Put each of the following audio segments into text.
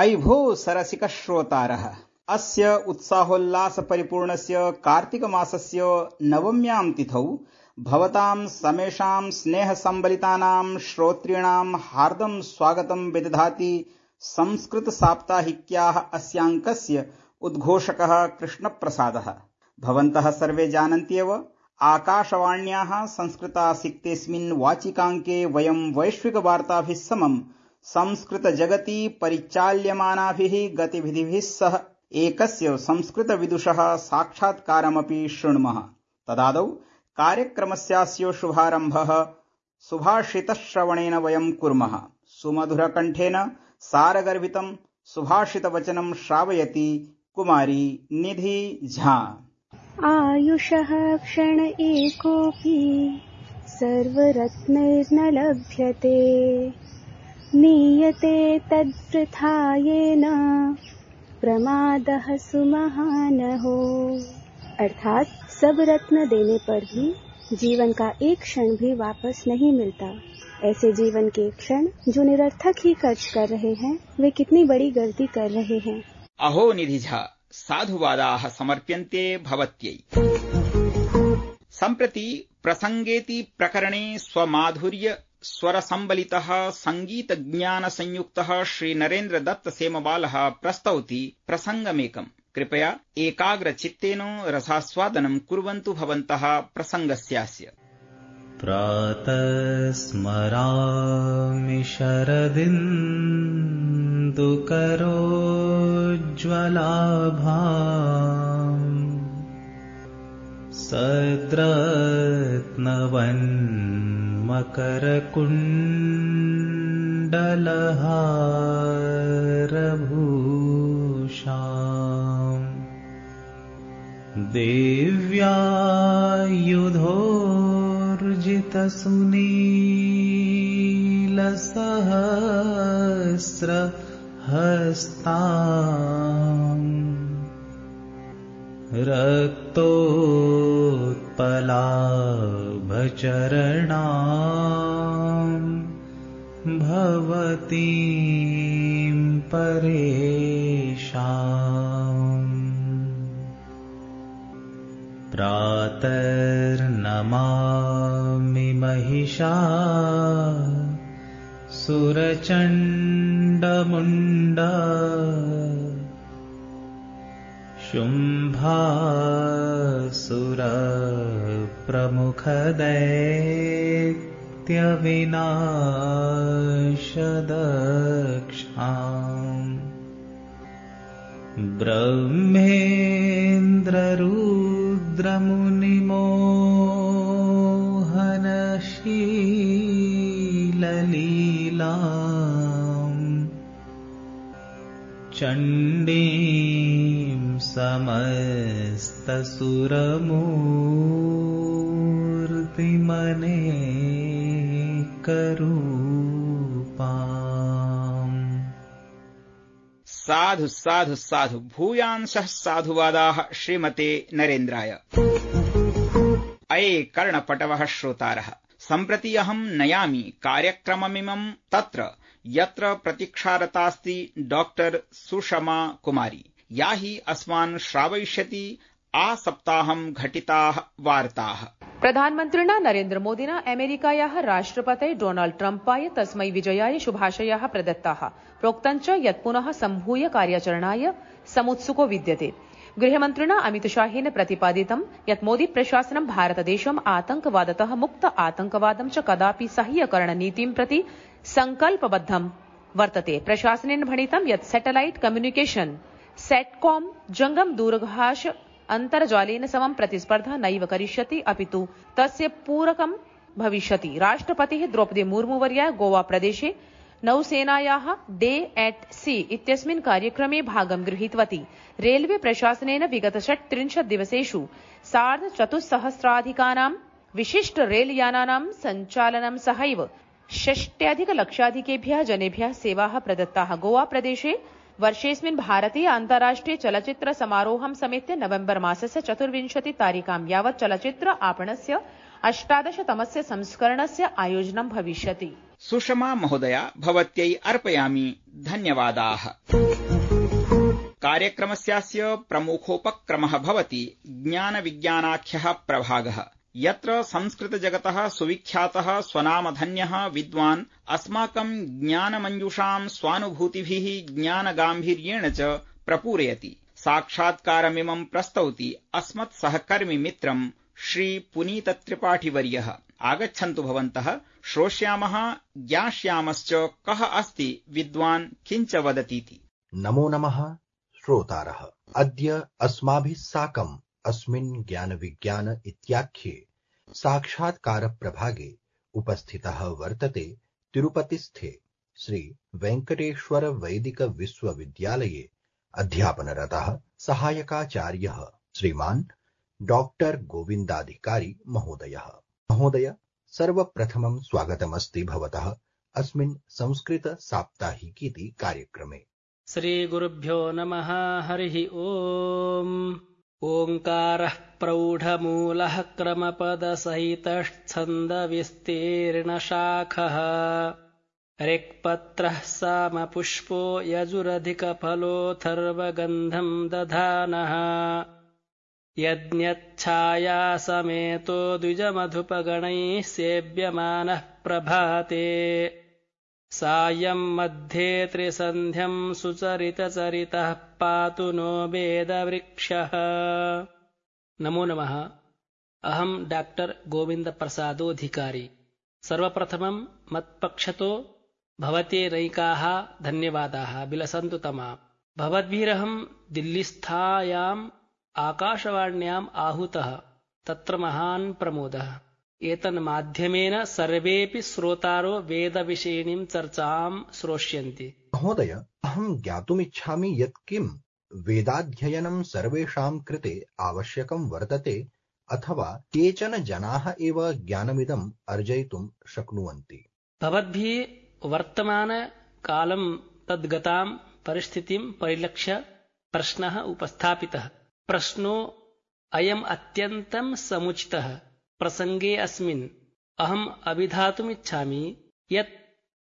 अयि भो सरसिक श्रोतारः, अस्य उत्साहोल्लासपरिपूर्णस्य कार्तिकमासस्य नवम्यां तिथौ भवतां समेषां स्नेहसम्बलितानां श्रोतॄणां हार्दं स्वागतं विदधाति संस्कृतसाप्ताहिक्याः अस्याङ्कस्य उद्घोषकः कृष्णप्रसादः। भवन्तः सर्वे जानन्त्येव आकाशवाण्याः संस्कृतासिक्तेऽस्मिन् वाचिकाङ्के वयं वैश्विकवार्ताभिः समं संस्कृतजगति परिचाल्यमानाभिः गतिविधिभिः सह एकस्य संस्कृतविदुषः साक्षात्कारमपि शृणुमः। तदादौ कार्यक्रमस्यास्य शुभारम्भः सुभाषितश्रवणेन वयं कुर्मः। सुमधुरकण्ठेन सारगर्भितं सुभाषितवचनं श्रावयति कुमारी निधि झा। आयुषः क्षण एकोऽपि सर्वरत्नैर्न लभ्यते, नीयते तद्वृथा येन प्रमादः सुमहानहो। अर्थात सब रत्न देने पर भी जीवन का एक क्षण भी वापस नहीं मिलता। ऐसे जीवन के क्षण जो निरर्थक ही खर्च कर रहे हैं, वे कितनी बड़ी गलती कर रहे हैं। अहो निधि झा, साधुवादाः समर्प्यन्ते भवत्यै। सम्प्रति प्रसंगेति प्रकरणे स्वमाधुर्य स्वरसम्बलितः संगीतज्ञानसंयुक्तः श्री नरेन्द्र दत्त सेमबालः प्रस्तौति प्रसङ्गमेकम्। कृपया एकाग्रचित्तेन रसास्वादनं कुर्वन्तु भवन्तः प्रसङ्गस्यास्य। प्रातः स्मरामि शरदिन्दुकरोज्ज्वलाभाम्, सद्रत्नवन्मकरकुण्डलहारभूषाम्, दिव्यायुधोर्जितसुनीलसहस्रहस्ताम्, रक्तोत्पलाभचरणाम्, भवतीं परेशाम्। प्रातर्नमामि महिषा सुरचण्डमुण्डा, शुम्भासुरप्रमुखदैत्यविनाशदक्षाम्, ब्रह्मेन्द्ररुद्रमुनिमोहनशीललीलाम्, चण्डीं समस्तसुरमूर्तिमनेकरूपाम्। साधु साधु साधु, भूयांशः साधुवादाः श्रीमते नरेन्द्राय। अये कर्णपटवः श्रोतारः, सम्प्रति अहं नयामि कार्यक्रममिमं तत्र यत्र प्रतीक्षारतास्ति डॉक्टर सुषमा कुमारी, या हि अस्मान् श्रावयिष्यति आसप्ताहं घटिताः वार्ताः। प्रधानमन्त्रिणा नरेन्द्र मोदिना अमेरिकायाः राष्ट्रपतये डोनाल्ड ट्रम्पाय तस्मै विजयाय शुभाशयाः प्रदत्ताः। प्रोक्तञ्च यत् पुनः सम्भूय कार्याचरणाय समुत्सुको विद्यते। गृहमन्त्रिणा अमितशाहेन प्रतिपादितं यत् मोदी प्रशासनं भारतदेशम् आतंकवादतः मुक्त आतंकवादं च कदापि सह्यकरणनीतिं प्रति संकल्पबद्धं वर्तते। प्रशासनेन भणितं यत् सैटेलाइट कम्युनिकेशन सेटकॉम जंगम दूरभाष अन्तर्जालेन समं प्रतिस्पर्धा नैव करिष्यति, अपितु तस्य पूरकं भविष्यति। राष्ट्रपतिः द्रौपदी मुर्मुवर्या गोवा प्रदेशे नौसेनायाः डे एट सी इत्यस्मिन् कार्यक्रमे भागं गृहीतवती। रेलवे प्रशासनेन विगत 30 दिवसेषु 4,400 विशिष्ट रेलयानानां सञ्चालनं सहैव 60,00,000 जनेभ्यः सेवाः प्रदत्ताः। गोवा प्रदेशे वर्षेऽस्मिन् भारतीय अन्ताराष्ट्रिय चलच्चित्र समारोहं समेत्य नवेम्बर मासस्य 24 तारिकां यावत् चलच्चित्र आपणस्य 18तमस्य संस्करणस्य आयोजनं भविष्यति। सुषमा महोदया, भवत्यै अर्पयामि धन्यवादाः। कार्यक्रमस्यास्य प्रमुखोपक्रमः भवति ज्ञानविज्ञानाख्यः प्रभागः, यत्र संस्कृतजगतः सुविख्यातः स्वनामधन्यः विद्वान् अस्माकं ज्ञानमञ्जुषां स्वानुभूतिभिः ज्ञानगाम्भीर्येण च प्रपूरयति। साक्षात्कारमिमं प्रस्तौति अस्मत्सहकर्मी मित्रं श्री पुनीतत्रिपाठिवर्यः। आगच्छन्तु भवन्तः, श्रोष्यामः, ज्ञास्यामश्च कः अस्ति विद्वान् किञ्च वदतीति। नमो नमः श्रोतारः। अद्य अस्माभिः साकम् अस्मिन् ज्ञानविज्ञान इत्याख्ये साक्षात्कारप्रभागे उपस्थितः वर्तते तिरुपतिस्थे श्री वेङ्कटेश्वर वैदिक विश्वविद्यालये अध्यापनरतः सहायकाचार्यः श्रीमान् डॉक्टर गोविन्दाधिकारी महोदयः। महोदय, सर्वप्रथमं स्वागतमस्ति भवतः अस्मिन् संस्कृत साप्ताहिकीति कार्यक्रमे। श्रीगुरुभ्यो नमः। हरिः ओम्। ओङ्कारः प्रौढमूलः क्रमपदसहितश्छन्दविस्तीर्णशाखः ऋक्पत्रः सामपुष्पो यजुरधिकफलोऽथर्वगन्धम् दधानः यज्ञच्छायासमेतो द्विजमधुपगणैः सेव्यमानः प्रभाते सायं मध्ये त्रिसन्ध्यं सुचरितचरितः पातु नो वेदवृक्षः। नमो नमः। अहं डॉक्टर गोविन्दप्रसादोऽधिकारी। सर्वप्रथमं मत्पक्षतो भवतेनैकाः धन्यवादाः विलसन्तु तमाम्। भवद्भिरहं दिल्लीस्थायाम् आकाशवाण्याम् आहूतः, तत्र महान् प्रमोदः। एतन्माध्यमेन सर्वेऽपि श्रोतारो वेदविषयिणीं चर्चां श्रोष्यन्ति। महोदय, अहं ज्ञातुमिच्छामि यत् किं वेदाध्ययनं सर्वेषां कृते आवश्यकं वर्तते अथवा केचन जनाः एव ज्ञानमिदम् अर्जयितुं शक्नुवन्ति। भवद्भिः वर्तमानकालं तद्गतां परिस्थितिं परिलक्ष्य प्रश्नः उपस्थापितः। प्रश्नो अयम् अत्यन्तं समुचितः। प्रसङ्गे अस्मिन् अहम् अभिधातुमिच्छामि यत्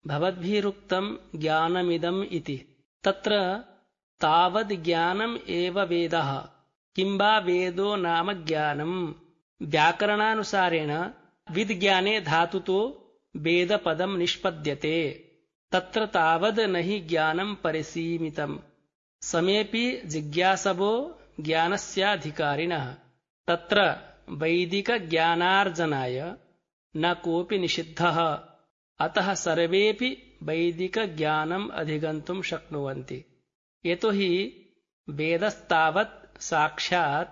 भवद्भिरुक्तं ज्ञानमिदम् इति। तत्र तावद् ज्ञानम् एव वेदः, किंबा वेदो नाम ज्ञानम्। व्याकरणानुसारेण विद्ज्ञाने धातुतो वेदपदं निष्पद्यते। तत्र तावद् न हि ज्ञानं परिसीमितम्। समेऽपि जिज्ञासवो ज्ञानस्याधिकारिणः। तत्र वैदिकज्ञानार्जनाय न कोऽपि निषिद्धः। अतः सर्वेऽपि वैदिकज्ञानम् अधिगन्तुं शक्नुवन्ति। यतोहि वेदस्तावत् साक्षात्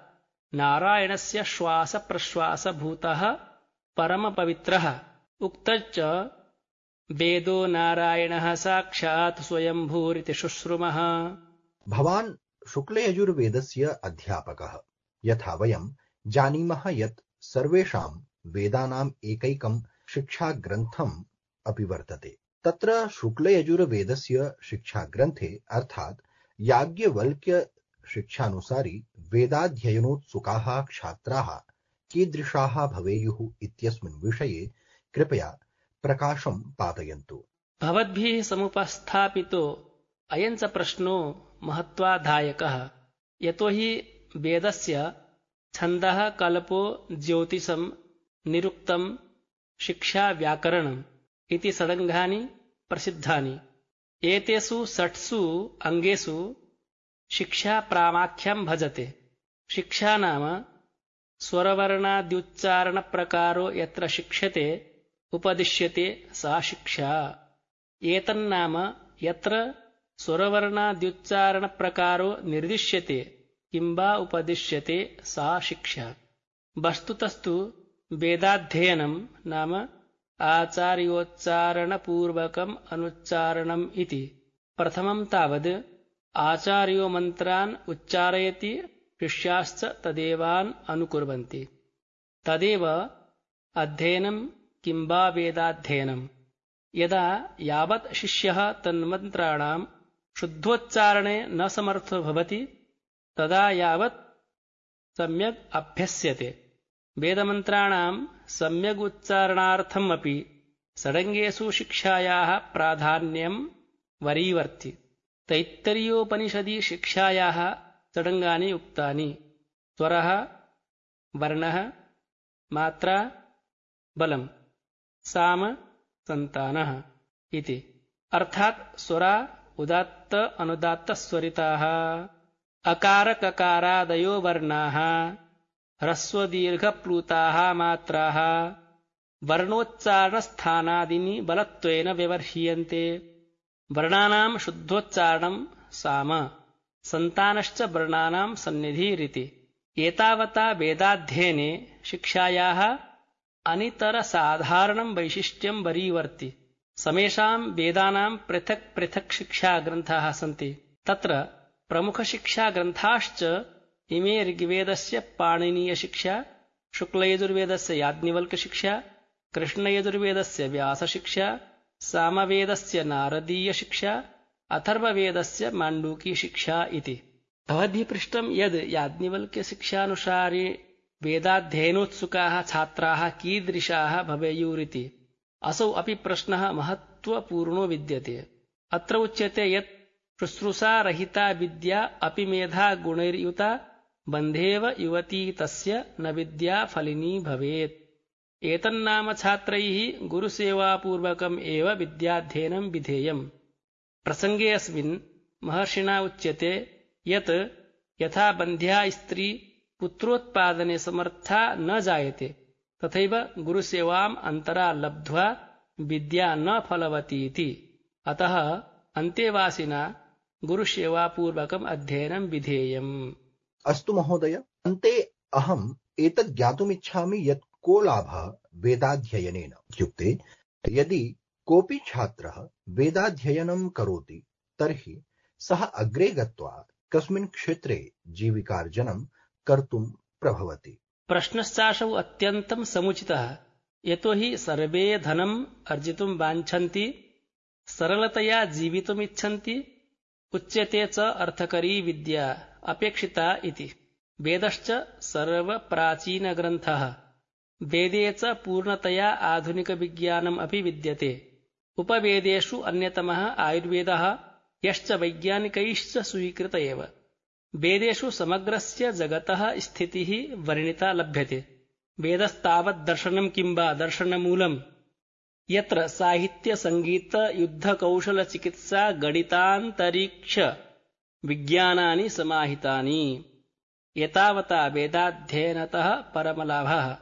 नारायणस्य श्वासप्रश्वासभूतः परमपवित्रः। उक्तश्च वेदो नारायणः साक्षात् स्वयंभूरिति शुश्रुमः। भवान् शुक्लयजुर्वेदस्य अध्यापकः। यथा वयं जानीमः यत् सर्वेषां वेदानाम् एकैकं शिक्षाग्रन्थम् अपि वर्तते। तत्र शुक्लयजुर्वेदस्य शिक्षाग्रन्थे अर्थात् याज्ञवल्क्य शिक्षानुसारि वेदाध्ययनोत्सुकाः छात्राः कीदृशाः भवेयुः इत्यस्मिन् विषये कृपया प्रकाशं पातयन्तु। भवद्भिः समुपस्थापितो अयं च प्रश्नो महत्वाधायकः। यतोहि वेदस्य छन्दः, कल्पो, ज्योतिषं, निरुक्तं, शिक्षा, व्याकरणम् इति षडङ्गानि प्रसिद्धानि। एतेषु षट्सु अङ्गेषु शिक्षा प्रामाख्यं भजते। शिक्षा नाम स्वरवर्णाद्युच्चारणप्रकारो यत्र शिक्ष्यते उपदिश्यते सा शिक्षा। एतन्नाम यत्र स्वरवर्णाद्युच्चारणप्रकारो निर्दिश्यते किंबा उपदिश्यते सा शिक्षा। वस्तुतस्तु वेदाध्ययनं नाम आचार्योच्चारणपूर्वकम् अनुच्चारणम् इति। प्रथमं तावद् आचार्यो मन्त्रान् उच्चारयति, शिष्याश्च तदेवान् अनुकुर्वन्ति। तदेव अध्ययनं किंबा वेदाध्ययनम्। यदा यावत् शिष्यः तन्मन्त्राणां शुद्धोच्चारणे न समर्थो भवति तदा यावत् सम्यक् अभ्यस्यते। वेदमन्त्राणां सम्यग् उच्चारणार्थम् अपि षडङ्गेषु शिक्षायाः प्राधान्यं वरीवर्ति। तैत्तरीयोपनिषदि शिक्षायाः षडङ्गानि उक्तानि। स्वरः, वर्णः, मात्रा, बलं, साम, सन्तानः इति। अर्थात् स्वरा उदात्त अनुदात्त स्वरिताः, अकार ककारादयो वर्णाः, ह्रस्व दीर्घ प्लुताः मात्राः वर्णोच्चारणस्थानादीनि बलत्वेन व्यवह्रियन्ते। वर्णानां शुद्धोच्चारणं साम, सन्तानश्च वर्णानां सन्निधिरिति। एतावता वेदाध्ययने शिक्षायाः अनितरसाधारणं वैशिष्ट्यं वरीवर्ति। समेषां वेदानां पृथक् पृथक् शिक्षाग्रन्थाः सन्ति। तत्र प्रमुखशिक्षाग्रन्थाश्च इमे ऋग्वेदस्य पाणिनीयशिक्षा, शुक्लयजुर्वेदस्य याज्ञवल्क्यशिक्षा, कृष्णयजुर्वेदस्य व्यासशिक्षा, सामवेदस्य नारदीयशिक्षा, अथर्ववेदस्य माण्डूकीशिक्षा इति। भवद्भिः पृष्टं यद् याज्ञवल्क्यशिक्षानुसारे वेदाध्ययनोत्सुकाः छात्राः कीदृशाः भवेयुरिति। असौ अपि प्रश्नः महत्त्वपूर्णो विद्यते। अत्र उच्यते यत् शुश्रूषारहिता विद्या अपि मेधा गुणैर्युता बन्धेव युवती तस्य न विद्या फलिनी भवेत्। एतन्नाम छात्रैः गुरुसेवापूर्वकम् एव विद्याध्ययनं विधेयम्। प्रसङ्गे अस्मिन् महर्षिणा उच्यते यत् यथा बन्ध्या स्त्री पुत्रोत्पादने समर्था न जायते, तथैव गुरुसेवाम् अन्तरा लब्ध्वा विद्या न फलवती इति। अतः अन्तेवासिना गुरुसेवापूर्वकम् अध्ययनं विधेयम्। अस्तु महोदय, अन्ते अहम् एतत् ज्ञातुमिच्छामि यत् को लाभः वेदाध्ययनेन इत्युक्ते यदि कोऽपि छात्रः वेदाध्ययनं करोति तर्हि सः अग्रे गत्वा कस्मिन् क्षेत्रे जीविकार्जनं कर्तुं प्रभवति। प्रश्नश्चासौ अत्यन्तं समुचितः। यतोहि सर्वे धनम् अर्जितुं वाञ्छन्ति, सरलतया जीवितुमिच्छन्ति। उच्यते च अर्थकरी विद्या अपेक्षिता इति। वेदश्च सर्वप्राचीनग्रन्थः। वेदे च पूर्णतया आधुनिकविज्ञानम् अपि विद्यते। उपवेदेषु अन्यतमः आयुर्वेदः, यश्च वैज्ञानिकैश्च स्वीकृत एव। वेदेषु समग्रस्य जगतः स्थितिः वर्णिता लभ्यते। वेदस्तावत् दर्शनं किंवा दर्शनमूलम्, यत्र साहित्य संगीत युद्ध कौशल चिकित्सा गणितान्तरिक्ष विज्ञानानि समाहितानि। एतावता वेदाध्ययनतः परमलाभः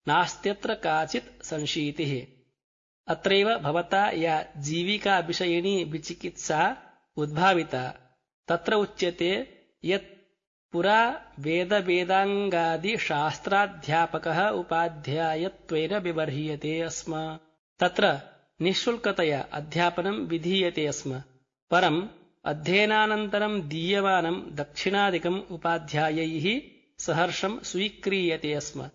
नास्त्यत्र काचित् संशीतिः। अत्रैव भवता या जीविका विषयिणी विचिकित्सा उद्भाविता, तत्र उच्यते यत् पुरा वेदांगादि शास्त्राध्यापकः उपाध्यायत्वेन व्यवह्रियते स्म। तत्र निःशुल्कतया अध्यापनं विधीयते स्म। परम् अध्ययनानन्तरं दीयमानं दक्षिणादिकम् उपाध्यायैः सहर्षं स्वीक्रियते स्म।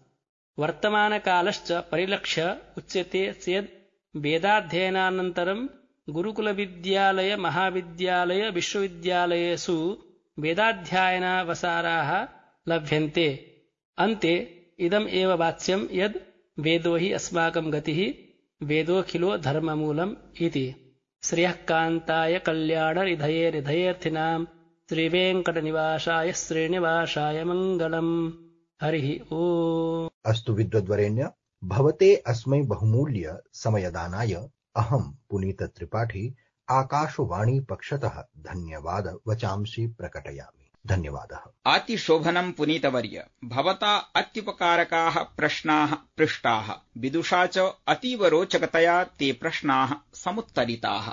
वर्तमानकालश्च परिलक्ष्य उच्यते चेत् वेदाध्ययनानन्तरं गुरुकुलविद्यालय महाविद्यालय विश्वविद्यालयेषु वेदाध्ययनावसराः लभ्यन्ते। अन्ते इदम् एव वाच्यं यद् वेदो हि अस्माकं गतिः, वेदोऽखिलो धर्ममूलम् इति। श्रियः कान्ताय कल्याणनिधये हृदयेऽर्थिनां श्रीवेङ्कटनिवासाय श्रीनिवासाय मङ्गलम्। हरिः ओम्। अस्तु विद्वद्वरेण्य, भवते अस्मै बहुमूल्य समयदानाय अहं पुनीत त्रिपाठी आकाशवाणी पक्षतः धन्यवाद वचांसि प्रकटयामि। धन्यवादः। अतिशोभनं पुनीतवर्य, भवता अत्युपकारकाः प्रश्नाः पृष्टाः, विदुषा च अतीव रोचकतया ते प्रश्नाः समुत्तरिताः।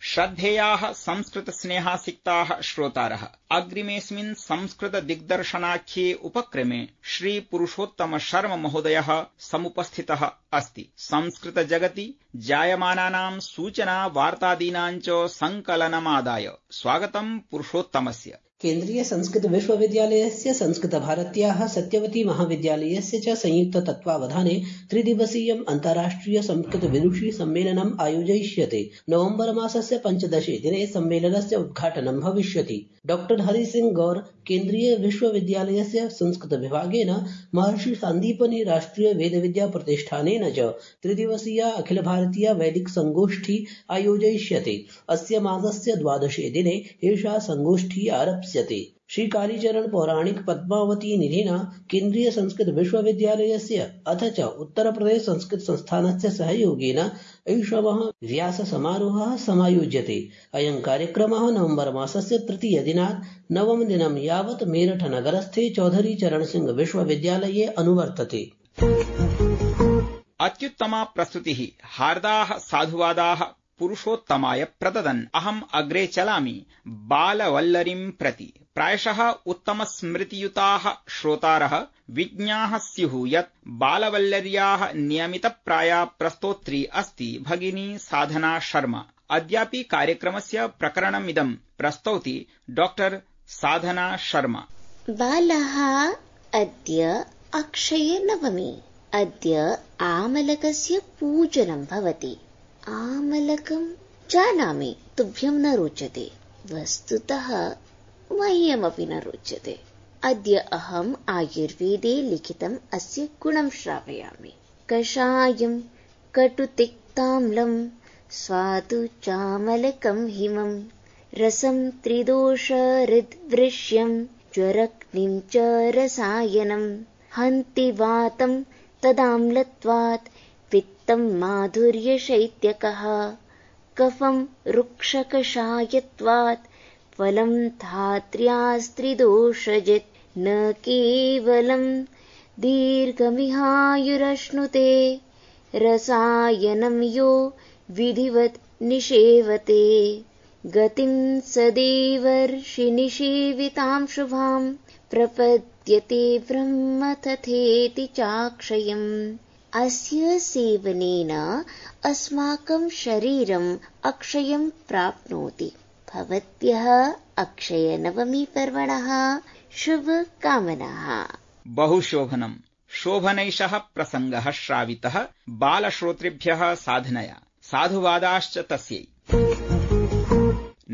श्रद्धेयाः संस्कृतस्नेहासिक्ताः श्रोतारः, अग्रिमेऽस्मिन् संस्कृतदिग्दर्शनाख्ये उपक्रमे श्रीपुरुषोत्तम शर्मा महोदयः समुपस्थितः अस्ति। संस्कृतजगति जायमानानां सूचना वार्तादीनां च सङ्कलनमादाय स्वागतं पुरुषोत्तमस्य। केन्द्रीय संस्कृत विश्वविद्यालयस्य संस्कृतभारत्याः सत्यवती महाविद्यालयस्य च संयुक्त तत्त्वावधाने 3 दिवसीयम् अन्ताराष्ट्रिय संस्कृत विदुषी सम्मेलनम् आयोजयिष्यते। नवम्बर मासस्य 15 दिने सम्मेलनस्य उद्घाटनं भविष्यति। डॉक्टर हरि सिंह गौर केन्द्रीय विश्वविद्यालयस्य संस्कृत विभागेन महर्षि सन्दीपनि राष्ट्रिय वेदविद्या प्रतिष्ठानेन च 3 दिवसीया अखिल भारतीय वैदिक संगोष्ठी आयोजयिष्यते। अस्य मासस्य 12 दिने एषा संगोष्ठी आरप्स्यते। श्री कालीचरण पौराणिक पद्मावती निधिना केन्द्रीय संस्कृत विश्वविद्यालयस्य अथ च उत्तर प्रदेश संस्कृत संस्थानस्य सहयोगेन ऐषमः व्यास समारोहः समायोज्यते। अयं कार्यक्रमः नवम्बर मासस्य 3 दिनात् 9 दिनं यावत् मेरठ नगरस्थे चौधरी चरण सिंह विश्वविद्यालये अनुवर्तते। अत्युत्तमा प्रस्तुतिः हार्दाः साधुवादाः पुरुषोत्तमाय प्रददन् अहम् अग्रे चलामि बालवल्लरीं प्रति। प्रायशः उत्तमस्मृतियुताः श्रोतारः विज्ञाः स्युः यत् बालवल्लर्याः नियमितप्राया प्रस्तोत्री अस्ति भगिनी साधना शर्मा। अद्यापि कार्यक्रमस्य प्रकरणमिदं प्रस्तौति डॉक्टर साधना शर्मा। बालः अद्य अक्षयनवमी। अद्य आमलकस्य पूजनं भवति। आमलकं जानामि, तुभ्यं न रोचते। वस्तुतः मह्यमपि न रोचते। अद्य अहम् आयुर्वेदे लिखितम् अस्य गुणं श्रावयामि। कषायं कटुतिक्ताम्लं स्वादु चामलकं हिमं रसं त्रिदोषहृद्वृष्यं ज्वरग्निं च रसायनं हन्ति वातं तदाम्लत्वात् पित्तं माधुर्यशैत्यकः कफं रुक्षकषायत्वात् फलं धात्र्यास्त्रिदोषजित् न केवलं दीर्घमिहायुरश्नुते रसायनं यो विधिवत् निषेवते गतिं सदैवर्षि निषेवितां शुभां प्रपद्यते ब्रह्म तथेति चाक्षयम्। अस्य सेवनेन अस्माकं शरीरम् अक्षयं प्राप्नोति। भवत्यः अक्षयनवमी पर्वणः शुभकामनाः। बहुशोभनम्। शोभनैषः प्रसङ्गः श्रावितः बालश्रोतृभ्यः साधनया। साधुवादाश्च तस्यै।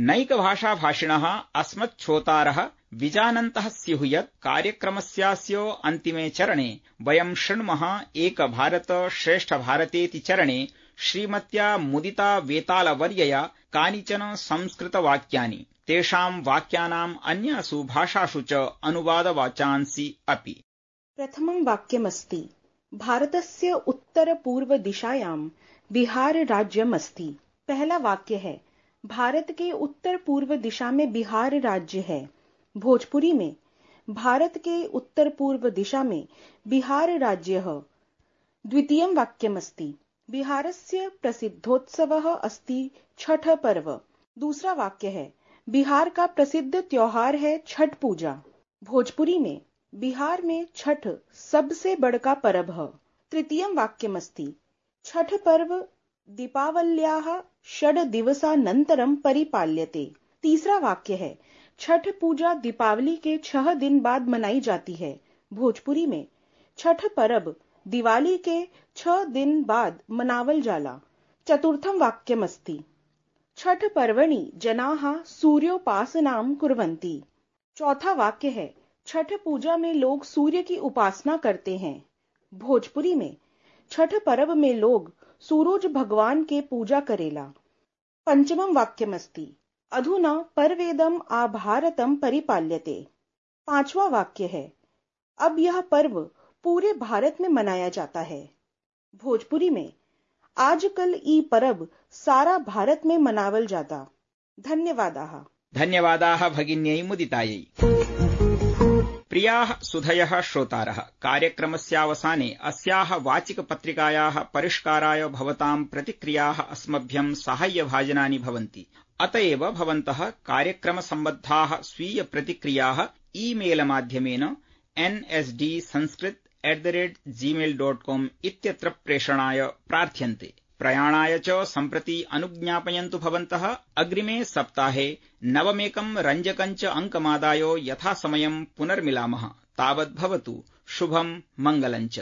नैकभाषाभाषिणः अस्मच्छ्रोतारः विजानन्तः स्युः यत् कार्यक्रमस्यास्य अन्तिमे चरणे वयं शृण्मः एक भारत श्रेष्ठ भारतेति चरणे श्रीमत्या मुदिता वेतालवर्यया कानिचन संस्कृतवाक्यानि तेषां वाक्यानाम् अन्यासु भाषासु च अनुवादवाचांसि अपि। प्रथमं वाक्यमस्ति भारतस्य उत्तर-पूर्व-दिशायां बिहार राज्यमस्ति। पहला वाक्य है भारत के उत्तर-पूर्व दिशा में बिहार राज्य है। भोजपुरी में भारत के उत्तर-पूर्व दिशा में बिहार राज्यः। द्वितीयं वाक्यमस्ति बिहारस्य प्रसिद्धोत्सवः अस्ति छठ पर्व। दूसरा वाक्य है बिहार का प्रसिद्ध त्योहार है छठ पूजा। भोजपुरी में बिहार में छठ सबसे बड़का पर्व है। तृतीयं वाक्यमस्ति छठ पर्व दीपावल्याः 6 दिवसानन्तरं परिपाल्यते। तीसरा वाक्य है छठ पूजा दीपावली के 6 दिन बाद मनाई जाती है। भोजपुरी में छठ पर्व दिवाली के 6 दिन बाद मनावल जाला। चतुर्थं वाक्यमस्ति छठ पर्वणि जनाः सूर्योपासनां कुर्वन्ति। चौथा वाक्य है छठ पूजा में लोग सूर्य की उपासना करते हैं। भोजपुरी में छठ पर्व में लोग सूरज भगवान के पूजा करेला। पंचमं वाक्यमस्ति अधुना पर्वेदम आभारतम परिपाल्यते। पांचवा वाक्य है अब यह पर्व पूरे भारत में मनाया जाता है। भोजपुरी में आजकल ई पर्व सारा भारत में मनावल जाता। धन्यवादाः। धन्यवादाः भगिन्यै मुदितायै। प्रियाः सुधयः श्रोतारः, कार्यक्रमस्यावसाने अस्याः वाचिकपत्रिकायाः परिष्काराय भवतां प्रतिक्रियाः अस्मभ्यं साहाय्यभाजनानि भवन्ति। अत एव भवन्तः कार्यक्रमसम्बद्धाः स्वीयप्रतिक्रियाः ईमेल माध्यमेन nsdsanskrit@gmail.com इत्यत्र प्रेषणाय प्रार्थ्यन्ते। प्रयाणाय च सम्प्रति अनुज्ञापयन्तु भवन्तः अग्रिमे सप्ताहे नवमेकं रञ्जकञ्च अङ्कमादाय यथासमयं पुनर्मिलामः। तावद्भवतु शुभं मङ्गलञ्च।